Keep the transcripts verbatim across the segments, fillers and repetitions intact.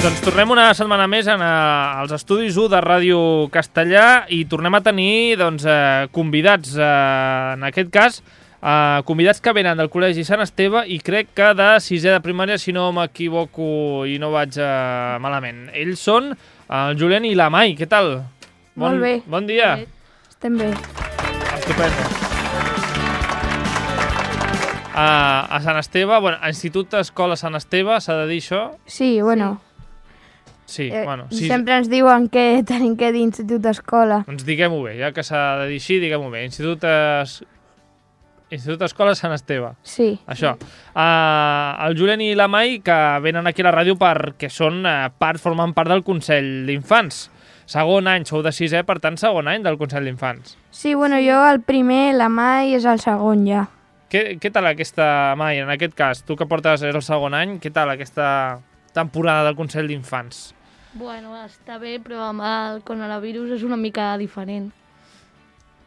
Doncs tornem una setmana més en, uh, als estudis u de Ràdio Castellà i tornem a tenir doncs, uh, convidats, uh, en aquest cas, uh, convidats que venen del Col·legi Sant Esteve i crec que de sisè de primària, si no m'equivoco i no vaig uh, malament. Ells són el Julen i la Mai. Què tal? Bon, Molt bé. Bon dia. Bé. Estem bé. Estupendo. Uh, a Sant Esteve, bueno, a Institut Escola Sant Esteve, s'ha de dir això? Sí, bueno... Sí, Eh, bueno. Sí, sempre ens diuen que tenim que dir institut escola. doncs diguem-ho bé, ja que s'ha de dir així, diguem-ho bé. Institut, es... Institut Escola Sant Esteve. Sí. Això. Uh, el Julen i la Mai, que venen aquí a la ràdio perquè són uh, part, formen part del Consell d'Infants. Segon any, sou de sisè, per tant, segon any del Consell d'Infants. Sí, bueno, jo el primer, la Mai és el segon ja. Què, què tal aquesta, Mai, en aquest cas? Tu que portes el segon any, què tal aquesta temporada del Consell d'Infants? Bueno, està bé, però amb el coronavirus és una mica diferent.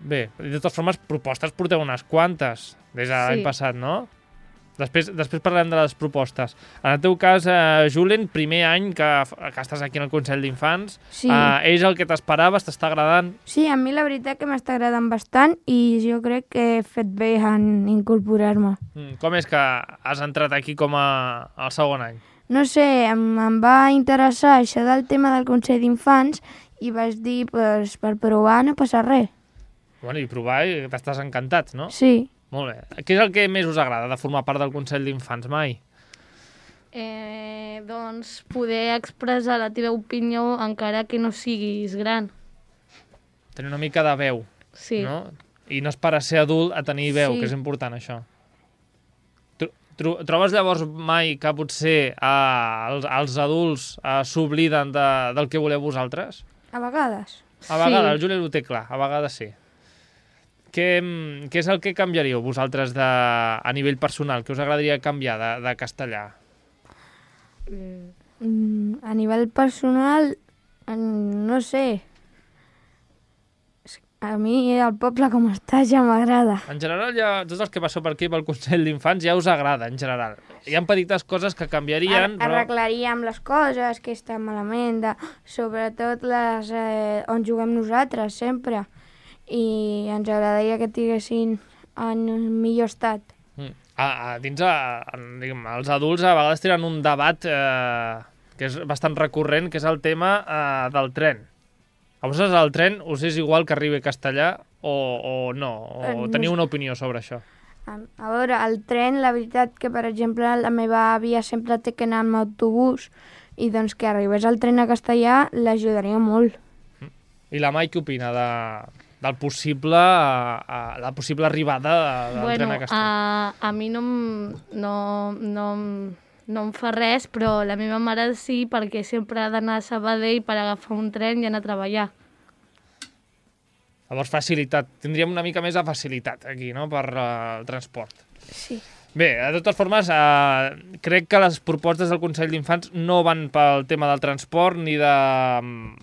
Bé, de totes formes, propostes porteu unes quantes des de l'any Sí. passat, no? Després, després parlem de les propostes. En el teu cas, eh, Julen, primer any que, que estàs aquí en el Consell d'Infants, Sí. eh, és el que t'esperaves, t'està agradant? Sí, a mi la veritat que m'està agradant bastant i jo crec que he fet bé en incorporar-me. Mm, com és que has entrat aquí com a, al segon any? No sé, em, em va interessar això del tema del Consell d'Infants i vaig dir, pues, per provar no passa res. Bueno, i provar i t'estàs encantat, no? Sí. Molt bé. Què és el que més us agrada de formar part del Consell d'Infants, Mai? Eh, doncs poder expressar la teva opinió encara que no siguis gran. Tenir una mica de veu, Sí. no? I no esperar ser adult a tenir veu, Sí. que és important, això. Tro- tro- Trobes llavors, Mai, que potser eh, els, els adults eh, s'obliden de, del que voleu vosaltres? A vegades. A vegades, el Juli ho té clar, a vegades sí. Què, mm, què és el que canviaríeu vosaltres de, a nivell personal? Què us agradaria canviar de, de castellà? Mm. Mm, a nivell personal, mm, no sé. A mi el poble com està ja m'agrada. En general, ja, tots els que passeu per aquí pel Consell d'Infants ja us agrada, en general. Hi ha petites coses que canviarien, Ar però... Arreglaríem les coses que estan malament, de, sobretot les eh, on juguem nosaltres, sempre. I ens agradaria que tinguessin en millor estat. Mm. A, a, dins, a, a, diguem, els adults a vegades tenen un debat eh, que és bastant recurrent, que és el tema eh, del tren. A vosaltres el tren us és igual que arribi a castellà o, o no? O Eh, no teniu sé. una opinió sobre això? A, a veure, el tren, la veritat que, per exemple, la meva àvia sempre té que anar amb autobús i doncs que arribés el tren a castellà l'ajudaria molt. I la Mai què opina de, del possible, a, a, la possible arribada del Bueno, tren a castellà? a, a mi no, em- no, no, em- no em fa res, però la meva mare sí, perquè sempre ha d'anar a Sabadell per agafar un tren i anar a treballar. Llavors, facilitat. Tindríem una mica més de facilitat aquí, no?, per uh, el transport. Sí. Bé, de totes formes, eh, crec que les propostes del Consell d'Infants no van pel tema del transport ni, de,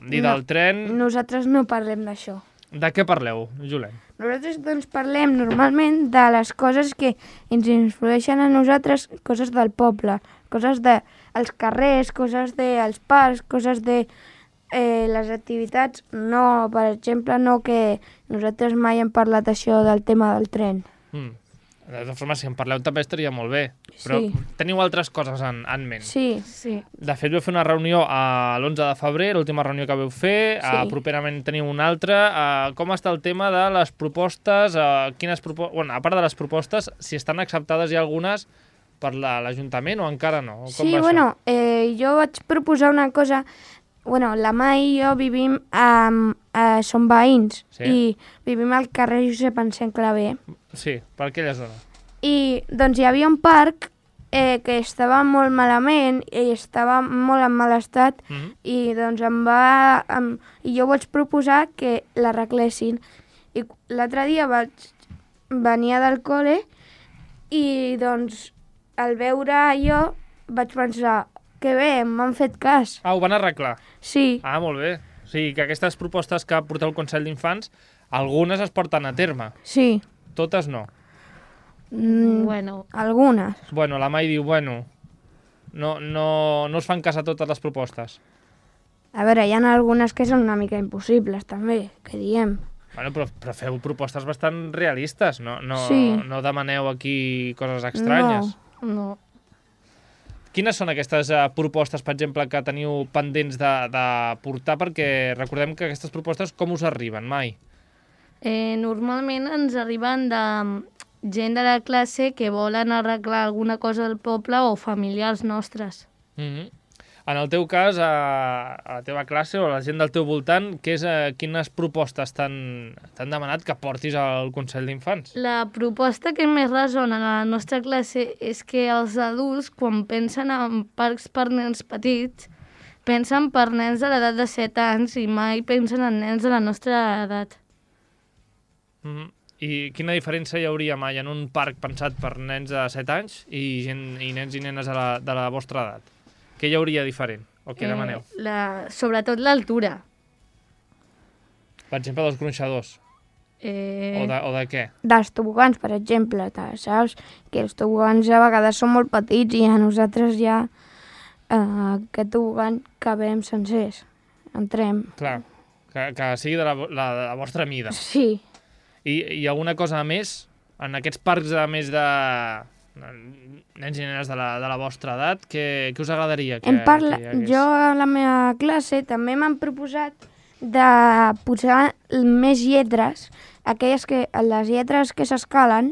ni No. del tren. Nosaltres no parlem d'això. De què parleu, Julen? Nosaltres doncs parlem normalment de les coses que ens influeixen a nosaltres, coses del poble, coses dels carrers, coses dels parcs, coses de eh, les activitats. No, per exemple, no que nosaltres mai hem parlat això del tema del tren. Mm. De totes formes, si en parleu també estaria molt bé. Però Sí. teniu altres coses en, en ment. Sí, Sí. De fet, vau fer una reunió a l'onze de febrer, l'última reunió que vau fer. Sí. Uh, properament teniu una altra. Uh, com està el tema de les propostes? Uh, quines propo bueno, a part de les propostes, si estan acceptades ja algunes per la- l'Ajuntament o encara no? Com sí va això? bueno, eh, jo vaig proposar una cosa. Bueno, la Mai i jo vivim, um, uh, som veïns, Sí. i vivim al carrer Josep Anselm Clavé. Sí, per aquella zona. I doncs hi havia un parc eh, que estava molt malament i estava molt en mal estat Mm -hmm. i doncs em va... Em, i jo vaig proposar que l'arreglessin. I l'altre dia vaig venir del col·le i doncs al veure allò vaig pensar que bé, m'han fet cas. Ah, ho van arreglar. Sí, Ah, molt bé. O sigui, que aquestes propostes que porteu el Consell d'Infants, algunes es porten a terme. sí. Totes no. Mm, Bueno, algunes. Bueno, la Mai diu, bueno... no, no, no us fan cas a totes les propostes? A veure, hi ha algunes que són una mica impossibles, també, que diem. Bueno, però, però feu propostes bastant realistes, no, no, Sí. no demaneu aquí coses estranyes. No. No. Quines són aquestes uh, propostes, per exemple, que teniu pendents de, de portar? Perquè recordem que aquestes propostes com us arriben mai? Eh, normalment ens arriben de gent de la classe que volen arreglar alguna cosa del poble o familiars nostres. Mm-hmm. En el teu cas, a, a la teva classe o a la gent del teu voltant, què és, uh, quines propostes t'han t'han demanat que portis al Consell d'Infants? La proposta que més ressona a la nostra classe és que els adults, quan pensen en parcs per nens petits, pensen per nens de l'edat de set anys i mai pensen en nens de la nostra edat. Mm-hmm. I quina diferència hi hauria mai en un parc pensat per nens de set anys i, gent, i nens i nenes de la, de la vostra edat? Què hi hauria diferent? O què demaneu? Eh, la, sobretot l'altura. Per exemple, dels gronxadors. Eh, O, de, o de què? Dels tobogans, per exemple, te saps? Que els tobogans a vegades són molt petits i a nosaltres ja eh, aquest tobogan cabem sencers. Entrem. Clar, que, que sigui de la, la, de la vostra mida. Sí. I, I alguna cosa més? En aquests parcs de més de nens i nenes de la, de la vostra edat, què, què us agradaria que, Em parla... que hi hagués? Jo a la meva classe també m'han proposat de posar més lletres, aquelles que, les lletres que s'escalen,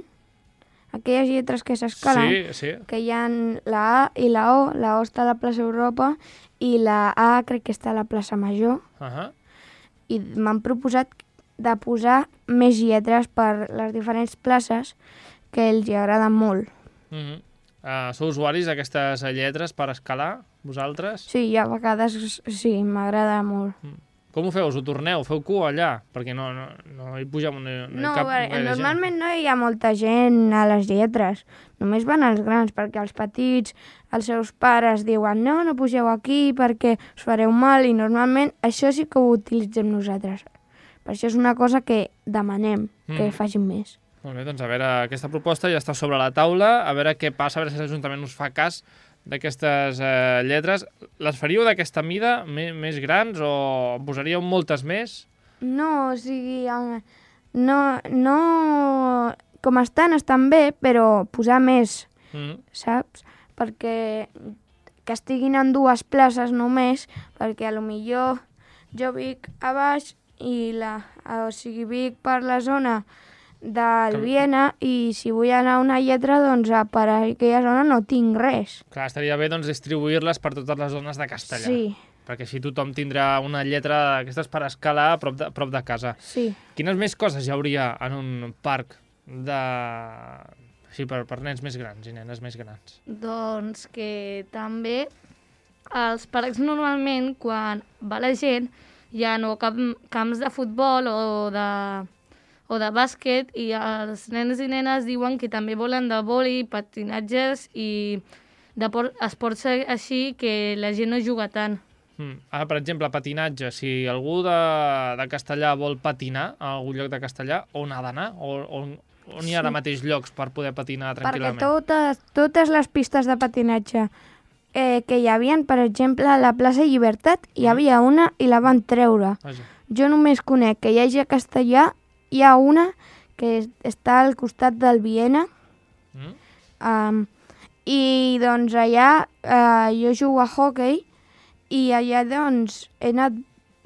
aquelles lletres que s'escalen, Sí, sí. que hi ha la A i la O, la O està a la plaça Europa i la A crec que està a la plaça Major, Uh -huh. i m'han proposat de posar més lletres per les diferents places que els hi agraden molt. Uh -huh. uh, sou usuaris d'aquestes lletres per escalar, vosaltres? Sí, a vegades sí, m'agrada molt. Com ho feu? Us ho torneu? Feu cua allà? Perquè no, no, no hi puja no, no, hi No, cap perquè gaire normalment no hi ha molta gent a les lletres. Només van els grans, perquè els petits, els seus pares diuen no, no pugeu aquí perquè us fareu mal, i normalment això sí que ho utilitzem nosaltres. Per això és una cosa que demanem, que Mm. facin més. Molt bé, doncs a veure, aquesta proposta ja està sobre la taula, a veure què passa, a veure si l'Ajuntament us fa cas d'aquestes eh, lletres. Les faríeu d'aquesta mida, més, més grans, o en posaríeu moltes més? No, o sigui, eh, no, no... Com estan, estan bé, però posar més, Mm. saps? Perquè que estiguin en dues places només, perquè a lo millor jo vic a baix i la, o sigui, vic per la zona del Viena, i si vull anar a una lletra, doncs per aquella zona no tinc res. Clar, estaria bé doncs, distribuir-les per totes les zones de Castellà. Sí, Perquè així tothom tindrà una lletra d'aquestes per escalar a prop de, a prop de casa. sí. Quines més coses hi hauria en un parc de... Sí, per, per nens més grans i nenes més grans? Doncs que també als parcs normalment, quan va la gent, hi ha no, cap, camps de futbol o de, o de bàsquet, i els nens i nenes diuen que també volen de vòlei, patinatges i de por, esports així que la gent no juga tant. Mm. Ah, per exemple, patinatge. Si algú de, de Castellà vol patinar a algun lloc de Castellà, on ha d'anar? O, on, on hi ha ara mateix llocs per poder patinar Perquè tranquil·lament? totes, totes les pistes de patinatge eh, que hi havia, per exemple, a la plaça Llibertat, hi havia una i la van treure. Vaja. Jo només conec que hi hagi a Castellà, hi ha una que està al costat del Viena, Mm? um, i doncs allà uh, jo jugo a hockey, i allà doncs he anat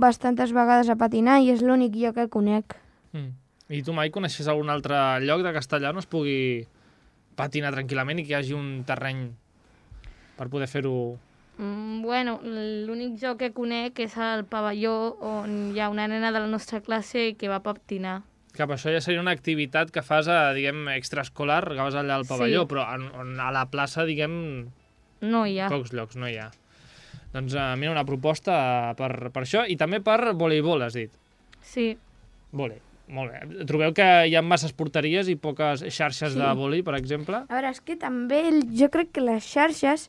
bastantes vegades a patinar i és l'únic lloc que conec. Mm. I tu mai coneixes algun altre lloc de Castellà on es pugui patinar tranquil·lament i que hi hagi un terreny per poder fer-ho? Mm, bueno, l'únic joc que conec és el pavelló, on hi ha una nena de la nostra classe que va patinar. Cap, això ja seria una activitat que fas, a, diguem, extraescolar, que vas allà al pavelló, Sí. però en, on, a la plaça, diguem, No hi ha. pocs llocs, no hi ha. Doncs uh, mira, una proposta per, per això, i també per voleibol, has dit. Sí. Vòlei, molt bé. Trobeu que hi ha masses porteries i poques xarxes Sí. de vòlei, per exemple? A veure, és que també el- jo crec que les xarxes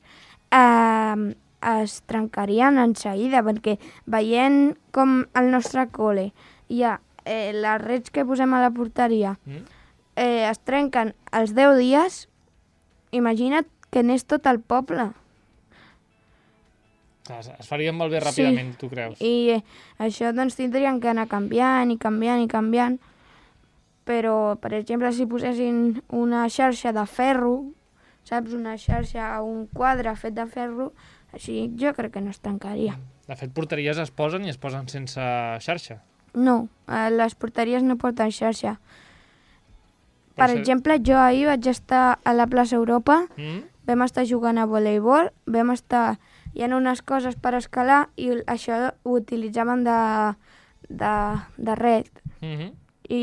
eh, es trencarien en seguida, perquè veient com al nostre col·le hi ha eh, les rets que posem a la porteria, Mm? eh, es trenquen els deu dies, imagina't que n'és tot el poble. Es, es faria malbé ràpidament, sí. Tu creus? I eh, això doncs tindrien que anar canviant i canviant i canviant, però, per exemple, si posessin una xarxa de ferro, saps, una xarxa, un quadre fet de ferro, així jo crec que no es tancaria. De fet, porteries es posen i es posen sense xarxa. No, eh, les porteries no porten xarxa. Per ser... exemple, jo ahir vaig estar a la plaça Europa, mm? vam estar jugant a voleibol, vam estar... Hi ha unes coses per escalar i això ho utilitzaven de, de, de red. Mm-hmm. I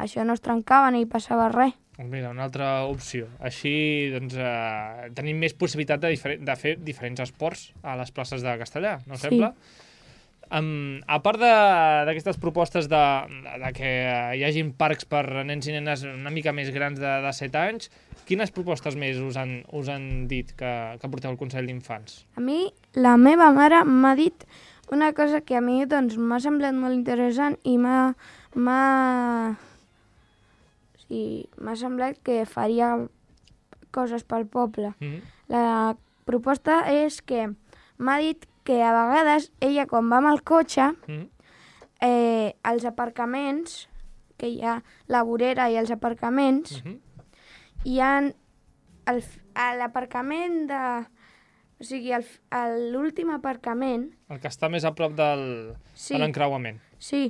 això no es trencava ni passava res. Mira, una altra opció. Així doncs, eh, tenim més possibilitat de, de fer diferents esports a les places de Castellar, no sí. sembla? Um, a part d'aquestes propostes de, de, de que hi hagin parcs per nens i nenes una mica més grans de, de set anys, quines propostes més us han, us han dit que, que porteu al Consell d'Infants? A mi, la meva mare m'ha dit una cosa que a mi doncs, m'ha semblat molt interessant i m'ha... Sí, m'ha semblat que faria coses pel poble. Mm-hmm. La proposta és que m'ha dit que a vegades ella, quan va amb el cotxe, mm-hmm. eh, els aparcaments, que hi ha la vorera i els aparcaments, mm-hmm. hi ha el, a l'aparcament de... O sigui, l'últim aparcament... El que està més a prop del, sí, de l'encreuament. Sí.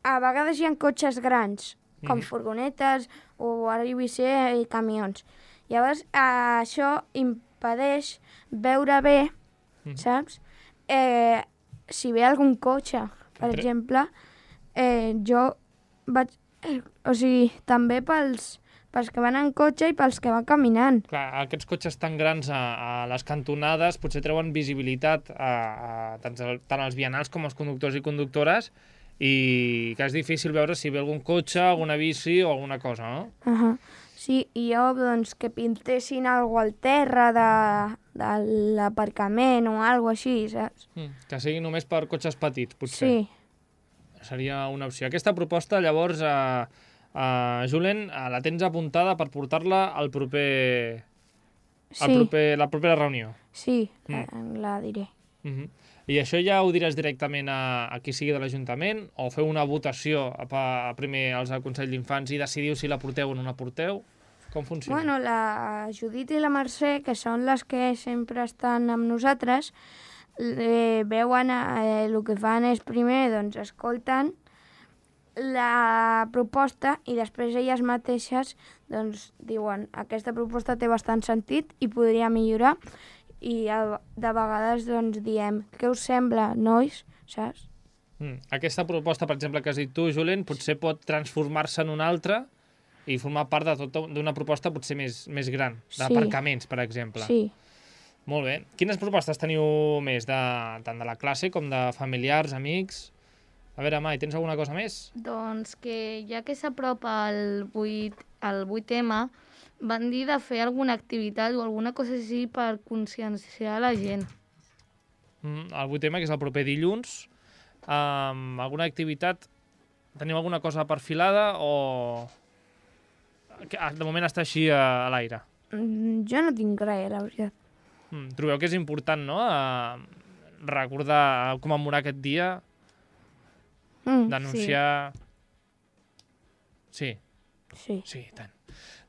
A vegades hi ha cotxes grans, com mm-hmm. furgonetes o ara hi vull ser i camions. Llavors, eh, això impedeix veure bé, mm-hmm. saps? Eh, si ve algun cotxe, per Entre... exemple, eh, jo vaig... Eh, o sigui, també pels, pels que van en cotxe i pels que van caminant. Clar, aquests cotxes tan grans a, a les cantonades potser treuen visibilitat a, a tant, tant als vianants com als conductors i conductores, i que és difícil veure si ve algun cotxe, alguna bici o alguna cosa, no? Uh -huh. Sí, i jo, doncs, que pintessin alguna al terra de, de l'aparcament o alguna així, saps? Mm, que sigui només per cotxes petits, potser. Sí. Seria una opció. Aquesta proposta, llavors, a, a Julen, la tens apuntada per portar-la al proper... Sí. Al proper, la propera reunió. Sí, mm. la diré. Mm-hmm. I això ja ho diràs directament a, a qui sigui de l'Ajuntament, o feu una votació a, a primer als al Consell d'Infants i decidiu si la porteu o no la porteu? Com funciona? Bueno, la Judit i la Mercè, que són les que sempre estan amb nosaltres, eh, veuen eh, el que fan és primer, doncs escolten la proposta i després elles mateixes doncs diuen aquesta proposta té bastant sentit i podria millorar. I de vegades doncs diem què us sembla, nois, saps? Mm. Aquesta proposta, per exemple, que has dit tu, Julen, potser pot transformar-se en una altra i formar part de tota d'una proposta potser més, més gran, d'aparcaments, sí. Per exemple. Sí. Molt bé. Quines propostes teniu més, de, tant de la classe com de familiars, amics? A veure, Mai, tens alguna cosa més? Doncs que ja que s'apropa el vuit M, van dir de fer alguna activitat o alguna cosa així per conscienciar la gent. Mm, el vuit M, que és el proper dilluns. Um, alguna activitat? Teniu alguna cosa perfilada o... De moment està així a, a l'aire? Mm, jo no tinc res, la veritat. Mm, trobeu que és important, no?, a recordar, a commemorar aquest dia, mm, denunciar... Sí. Sí. Sí, sí, tant.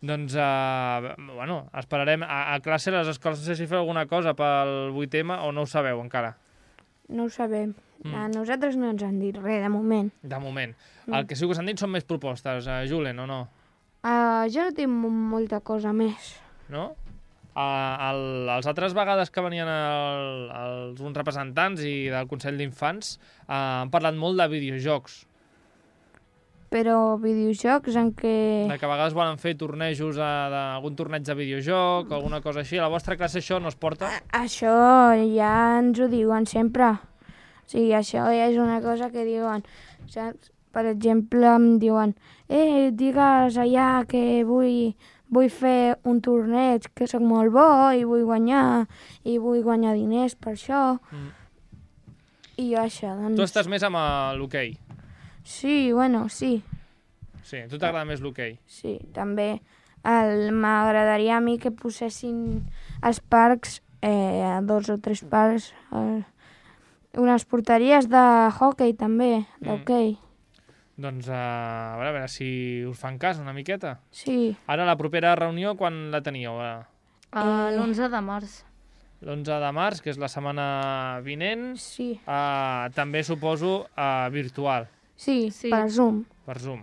Doncs, uh, bueno, esperarem. A, a classe, a les escoles, no sé si feu alguna cosa pel vuit M o no ho sabeu encara? No ho sabem. Mm. A nosaltres no ens han dit res, de moment. De moment. Mm. El que sí que us han dit són més propostes, uh, Julen, o no? Uh, jo no tinc molta cosa més. No? Uh, el, les altres vegades que venien el, els, uns representants i del Consell d'Infants uh, han parlat molt de videojocs. Però videojocs en què... De que a vegades volen fer tornejos, algun torneig de videojoc o alguna cosa així. A la vostra classe això no es porta? A, això ja ens ho diuen sempre. O sigui, això ja és una cosa que diuen, saps? Per exemple, em diuen, eh, digues allà que vull, vull fer un torneig, que sóc molt bo i vull guanyar, i vull guanyar diners per això. Mm. I jo això, doncs... Tu estàs més amb l'hoquei? Sí, bueno, sí. Sí, a tu t'agrada més l'hoquei? Sí, també m'agradaria a mi que posessin els parcs eh, dos o tres parcs, eh, unes porteries de hockey també, d'hoquei. Mm. Doncs uh, a, veure, a veure si us fan cas una miqueta. Sí. Ara la propera reunió quan la teníeu? Uh, Uh, l'onze de març. L'onze de març, que és la setmana vinent. Sí. Uh, també suposo uh, virtual. Sí, Sí. per Zoom. Per Zoom.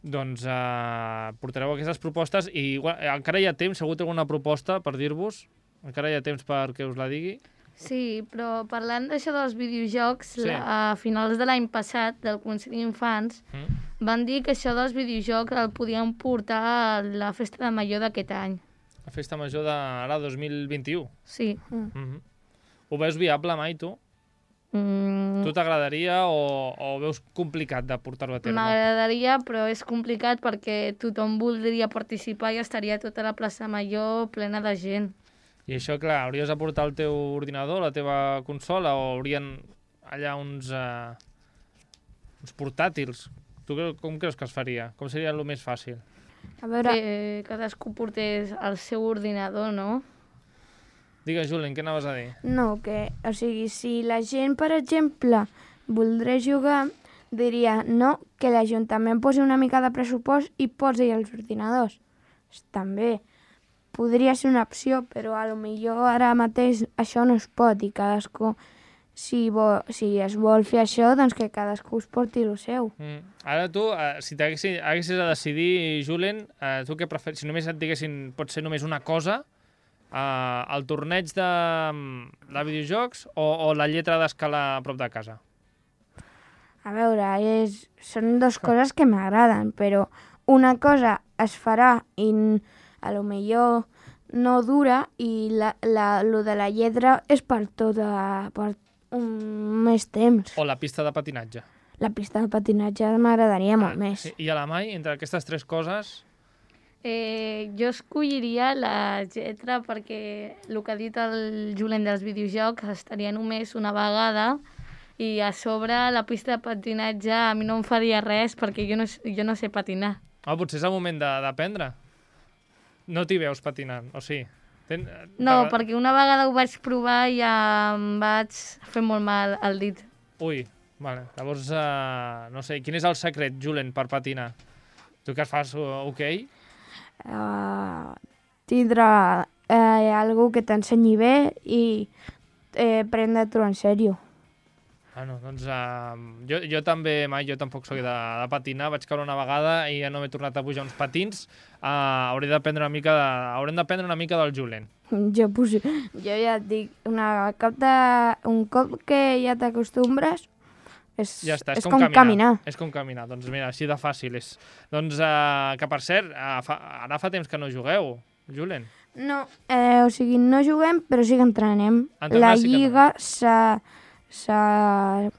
Doncs uh, portareu aquestes propostes i igual, encara hi ha temps, segur que alguna proposta per dir-vos? Encara hi ha temps perquè us la digui? Sí, però parlant d'això dels videojocs, Sí. la, a finals de l'any passat, del Consell d'Infants, Mm? van dir que això dels videojocs el podien portar a la festa de Major d'aquest any. La festa major d'ara dos mil vint-i-u. Sí. Mm. Mm-hmm. Ho veus viable mai, tu? Mm, Tu t'agradaria o, o ho veus complicat de portar-ho a terme? M'agradaria, però és complicat perquè tothom voldria participar i estaria tota la plaça Major plena de gent. I això, clar, hauries de portar el teu ordinador, la teva consola, o haurien allà uns, uh, uns portàtils? Tu cre- com creus que es faria? Com seria el més fàcil? A veure, Que cadascú portés el seu ordinador, no? Digues, Julen, què anaves a dir? no, que, o sigui, si la gent, per exemple, voldrà jugar, diria, no, que l'Ajuntament posi una mica de pressupost i posi els ordinadors. També podria ser una opció, però a lo millor ara mateix això no es pot i cadascú, si, vol, si es vol fer això, doncs que cadascú es porti el seu. Mm. Ara tu, uh, si t'haguessis haguessis de decidir, Julen, uh, tu què preferis? Si només et diguessin, pot ser només una cosa, uh, el torneig de, de videojocs o, o la lletra d'escala a prop de casa? A veure, és, són dues coses que m'agraden, però una cosa es farà i n- a lo millor no dura i la, la, lo de la lletra és per tota, per un més temps. O la pista de patinatge? La pista de patinatge m'agradaria molt Ah, més. sí. I a la Mai, entre aquestes tres coses... Eh, jo escolliria la lletra perquè el que ha dit el Julen dels videojocs estaria només una vegada i a sobre la pista de patinatge a mi no em faria res perquè jo no, jo no sé patinar. Ah, potser és el moment de- d'aprendre. No t'hi veus patinant, o sí? Ten... No, t'agrada- perquè una vegada ho vaig provar i ja em vaig fer molt mal al dit. Ui, vale. Llavors, uh, no sé, quin és el secret, Julen, per patinar? Tu que es fas uh, ok? Uh, tindre eh, algú que t'ensenyi bé i eh, prendre-t'ho en sèrio. Bueno, doncs uh, jo, jo també, mai, jo tampoc soc de, de patinar, vaig caure una vegada i ja no m'he tornat a pujar uns patins. Uh, hauré d'aprendre una mica de, haurem d'aprendre una mica del Julen. Jo, pues, jo ja et dic, una cop de, un cop que ja t'acostumbres, és, Ja està, és, és com, com caminar. caminar. És com caminar, doncs mira, així de fàcil és. Doncs, uh, que per cert, uh, fa, ara fa temps que no jugueu, Julen. No, eh, o sigui, no juguem, però sí que entrenem. Entrenar La sí que lliga s'ha... s'ha...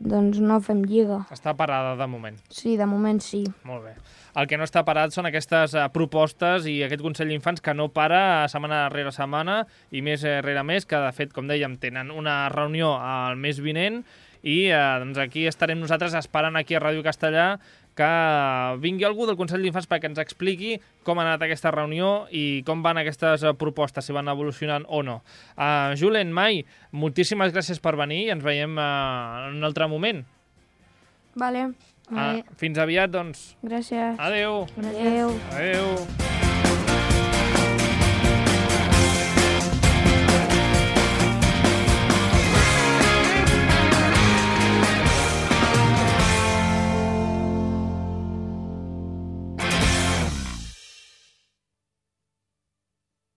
doncs no fem lliga. Està parada de moment. Sí, de moment sí. Molt bé. El que no està parat són aquestes uh, propostes i aquest Consell d'Infants que no para setmana rere setmana i mes rere mes, que de fet, com dèiem, tenen una reunió al mes vinent i uh, doncs aquí estarem nosaltres esperant aquí a Ràdio Castellà que vingui algú del Consell d'Infants perquè ens expliqui com ha anat aquesta reunió i com van aquestes uh, propostes, si van evolucionant o no. Uh, Julen, Mai, moltíssimes gràcies per venir i ens veiem uh, en un altre moment. Vale, Uh, fins aviat, doncs. gràcies. Adeu. Adéu. Adeu.